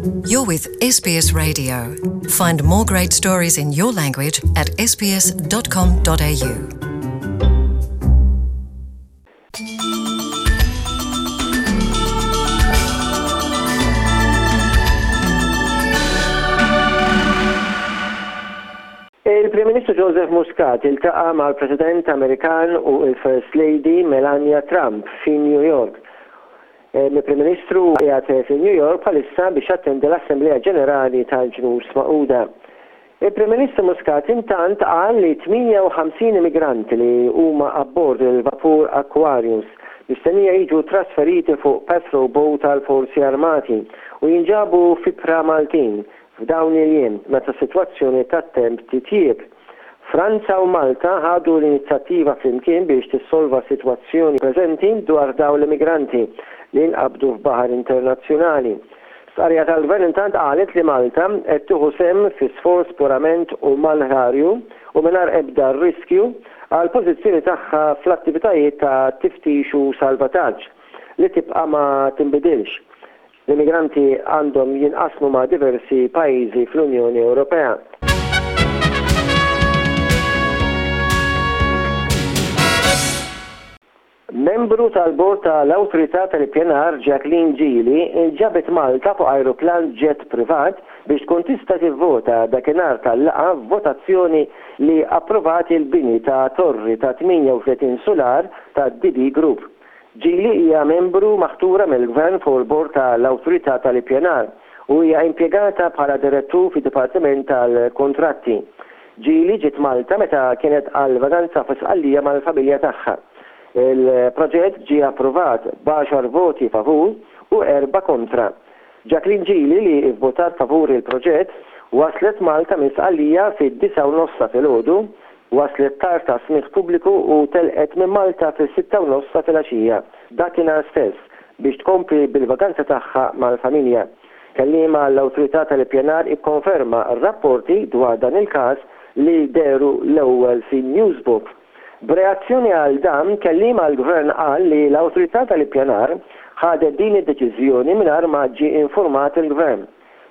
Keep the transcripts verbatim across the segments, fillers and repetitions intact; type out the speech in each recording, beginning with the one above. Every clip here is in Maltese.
You're with S B S Radio. Find more great stories in your language at S B S dot com dot A U. Il-Prim Ministru Joseph Muscat iltaqa' mal-President Amerikan u il-First Lady Melania Trump fi New York. Il-Prim Ministru qiegħed fi New York bħalissa biex jattendi l-Assemblea Ġenerali tal-Ġnus Magħquda. Il-Prim Ministru Muscat intant qal li tmienja u ħamsin immigranti li huma abbord il-vapur Aquarius mistennija jiġu trasferiti fuq patrol boat tal-Forzi Armati u jinġabu f'ibħra Maltin f'dawn il-jiem meta s-sitwazzjoni tat-temp titjieb. Franza u Malta ħadu l-inizjattiva flimkien biex tissolva s-sitwazzjoni preżenti dwar dawn l-immigranti li nqabdu f'baħar internazzjonali. Stqarrija tal-Gvern intant qalet li Malta qed tieħu sehem fi sforz purament umanitarju u mingħajr ebda riskju għal pożizzjoni tagħha fl-attivitajiet ta' tiftix u salvataġġ li tibqa' ma tinbidilx. L-immigranti għandhom jinqasmu ma' diversi pajjiżi fl-Unjoni Ewropea. Membru tal-bord tal-Awtorità tal-Ippjanar Jacqueline Gili inġabet Malta fuq aeroplan jet privat biex tkun tista' tivvota dakinhar tal-laqgħa votazzjoni li approvat il-bini ta' torri ta' tmienja u tletin sular ta' D B Group. Gili hija membru maħtura mill-Gvern fuq il-bord tal-Awtorità tal-Ippjanar u hija impjegata bħala direttur fid-Dipartiment tal-Kontratti. Gili ġiet Malta meta kienet għal vaganza fi Sqallija mal-familja tagħha. Il-proġett ġie approvat b'għaxar voti favur u erba' kontra. Jacqueline Gili, li votat favur il-proġett, waslet Malta minn Sqallija fid-disgħa u nofs ta' filgħodu, waslet tard għas-smigħ pubbliku u telqet minn Malta fis-sitta u nofs ta' filgħaxija dakinhar stess biex tkompli bil-vaganza tagħha mal-familja. Kelliem għall-Awtorità tal-Ippjanar ikkonferma r-rapporti dwar dan il-każ li dehru l-ewwel fi Newsbook. B'reazzjoni għal dan, kelliem għall-Gvern qal li l-Awtorità tal-Ippjanar ħadet din id-deċiżjoni mingħajr ma ġie informat il-Gvern.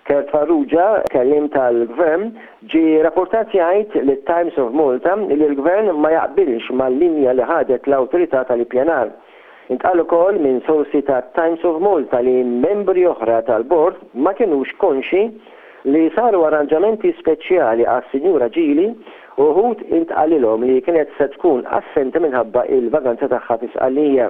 Kurt Farrugia, kelliem tal-Gvern, ġie rapportat jgħid lit Times of Malta li l-Gvern ma jaqbilx mal-linja li ħadet l-Awtorità tal-Ippjanar. Intqal ukoll minn sorsi ta' Times of Malta li membri oħra tal-bord ma kienux konxi li saru arranġamenti speċjali għas-Sinjura Gili u wħud intqalilhom li kienet se tkun assenti minħabba il-vaganza tagħha fi Sqallija.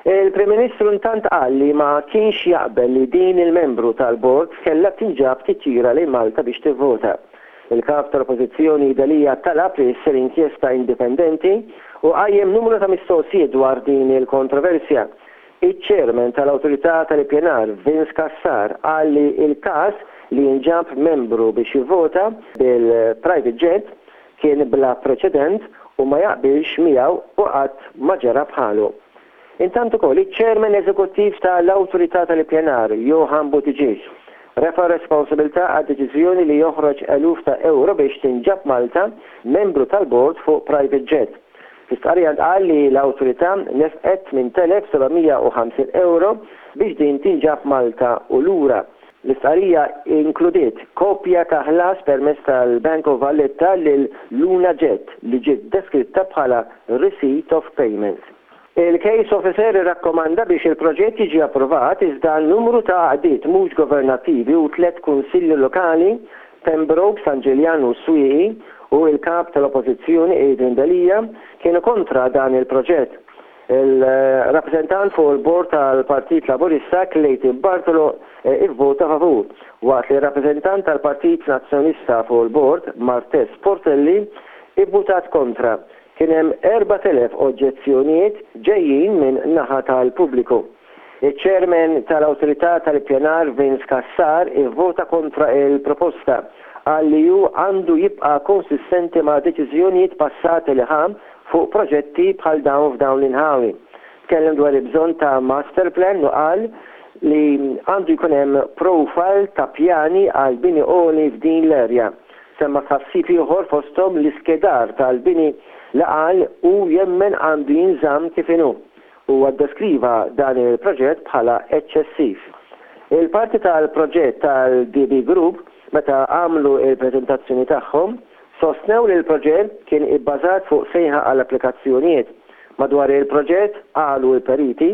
Il-Prim Ministru intant qal li ma kienx jaqbel li din il-membru tal-bord kellha tinġab titjira lejn Malta biex tivvota. Il-kap tal-Oppożizzjoni Delia talab li ssir inkjesta indipendenti u qajjem numru ta' mistoqsijiet dwar din il-kontroversja. Iċ-chairman tal-Awtorità tal-Ippjanar Vince Cassar qal li il-każ li jinġab membru biex jivvota bil-private jet kien bla preċedent u ma jaqbilx miegħu u qatt ma ġara bħalu. Intant ukoll iċ-chairman eżekuttiv tal-Awtorità tal-Ippjanar Johan Buttigieg refa' responsabilità għad-deċiżjoni li joħroġ eluf ta' euro biex tinġab Malta membru tal-bord fuq private jet. Fi stqarrija qal li l-awtorità nefqet tmien elef u seba' mija u ħamsin euro biex din tinġab Malta u lura. L-istqarrija inkludiet kopja ta' ħlas permezz tal-Bank of Valletta lil Luna Jet li ġiet deskritta bħala Receipt of Payment. Il-case officer irrakkomanda biex il-proġett jiġi approvat, iżda numru ta' għaqdiet mhux governattivi u tliet kunsilli lokali, Pembroke, San Ġiljan u Swieqi, u il-kap tal-Oppożizzjoni Adrian Delia kienu kontra dan il-proġett. Il-rappresentant fuq il-bord tal-Partit Laburista Clayton Bartolo eh, ivvota favur, waqt li rappresentant tal-Partit Nazzjonalista fuq il-bord Marthese Portelli ivvotat kontra. Kien hemm erbat elef oġġezzjonijiet ġejjin minn naħa tal-pubbliku. Il-chairman tal-Awtorità tal-Ippjanar Vince Cassar ivvota kontra il-proposta, qal li hu għandu jibqa' konsistenti ma' deċiżjonijiet passati li ħa fuq proġetti bħal dawn f'dawn l-inħawi. Tkellem dwar il-bżonn ta' master plan u qal li għandu jkun hemm profile ta' pjani għal bini għoli f'din l-erja. Semma tħassib ieħor, fosthom l-iskedar tal-bini li qal u jemmen għandu jinżamm kif inhu. U deskriva dan il-proġett bħala eċċessiv. Il-parti tal-proġett tal-D B Group, meta għamlu il-prezentazzjoni tagħhom, sostnew li l-proġett kien ibbażat fuq sejħa għall applikazzjonijiet. Madwar il-proġett, qalu l-periti,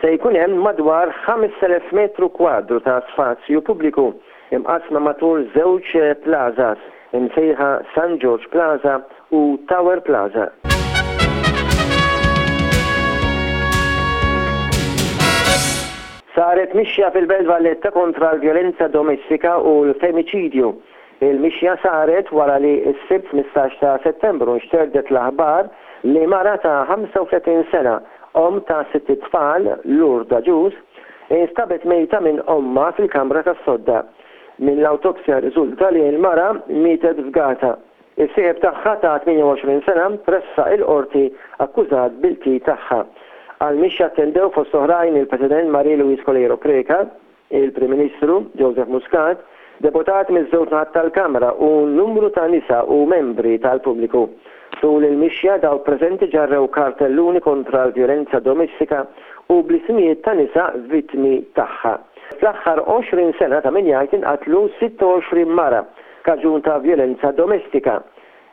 se jkun hemm madwar ħamest elef metru kwadru ta' spazju pubbliku imqasma matul żewġ plazas imsejħa San George Plaza u Tower Plaza. Saret mixja fil-Belt Valletta kontra l-vjolenza domestika u l-femiċidju. Il-mixja saret wara li s-Sibt ħmistax ta' Settembru nxterdet l-aħbar li mara ta' ħamsa u tletin sena, om ta' sitt tfal, Lourdes Agius, instabet mejta minn ommha fil-kamra tas-sodda. Minn l-awtopsja riżulta li l-mara mietet fgata. Is-sieħeb tagħha ta' tmienja u għoxrin sena tressaq il-qorti akkużat bil-qtil tagħha. Għal-mixja attendew fost oħrajn il-President Marie Louise Coleiro Preca, il-Prim Ministru Joseph Muscat, deputat miż-żewġ naħat tal-Kamra u numru ta' nisa u membri tal-pubbliku. Tul il-mixja dawk preżenti ġarrew kartelluni kontra l-vjolenza domestika u bl-ismijiet ta' nisa vittmi tagħha. Fl-aħħar għoxrin sena ta' min jgħid inqatlu sitta u għoxrin mara kaġun ta' vjolenza domestika.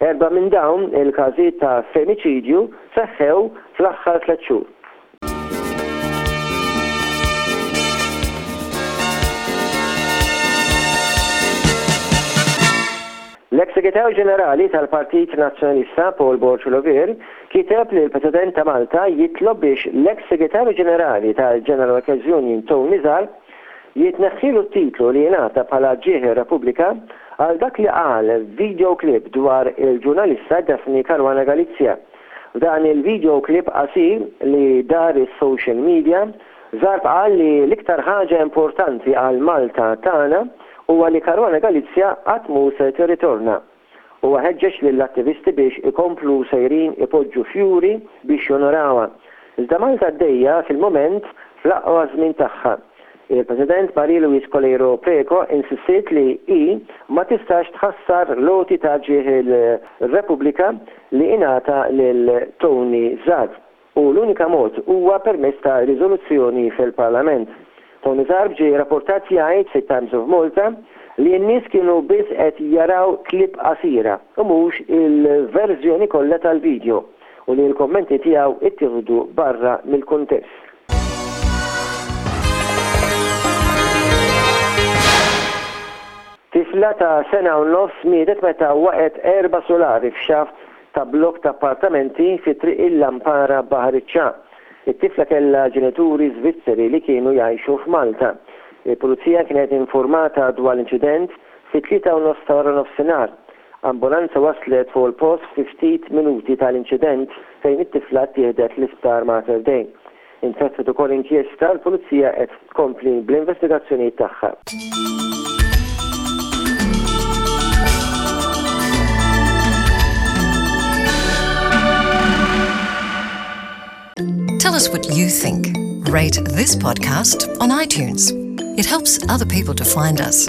Erba' minn dawn il-każijiet ta' femiċidju seħħew fl-aħħar tliet xhur. L-ex-segretarju ġenerali tal-Partit Nazzjonalista Paul Borg Olivier kiteb li l-President ta' Malta jitlob biex l-ex-segretarju ġenerali tal-General Workers Union Tony Zarb jitneħħilu t-titlu li jingħata bħala Ġieħ Repubblika għal dak li qal video clip dwar il-ġurnalista Daphne Caruana Galizia. F'dan il-video clip qasir li dar is-social media, Zarb qal li l-iktar ħaġa importanti għal Malta tagħna huwa li Caruana Galizia qatt mhu se tirritorna. Huwa ħeġġeġ lill-attivisti biex ikomplu sejrin ipoġġu fjuri biex jonorawha. Iżda Malta għaddejja fil-moment fl-aqwa żmien tagħha. Il-President Marie Louise Coleiro Preca insistiet li i ma tistax tħassar l-għoti ta' Ġieħ il-Repubblika li ingħata lil Tony Zarb u l-unika mod huwa permezz ta' riżoluzzjoni fil-Parlament. Tony Zarb ġie rapportat jgħid fit-Times of Malta li n-nies kienu biss qed jaraw klip qasira u mhux il-verżjoni kollha tal-video u li l-kommenti tiegħu ittieħdu barra mill-kuntest. Tifla ta' sena u nofs mietet meta waqgħet erba' solari f'xaft ta' blok ta' appartamenti fi Triq il-Lampara, Baħar iċ-Ċagħaq. It-tifla kellha ġenituri Svizzeri li kienu jgħixu f'Malta. Il-Pulizija kienet informata dwar l-inċident fi tlieta u nofs ta' wara nofsinhar. Ambulanza waslet fuq il-post fi ftit minuti tal-inċident fejn it-tifla ttieħdet l-isptar Mater Dei. Infetħet ukoll inkjesta, l-Pulizija qed tkompli bl-investigazzjonijiet tagħha. Tell us what you think. Rate this podcast on iTunes. It helps other people to find us.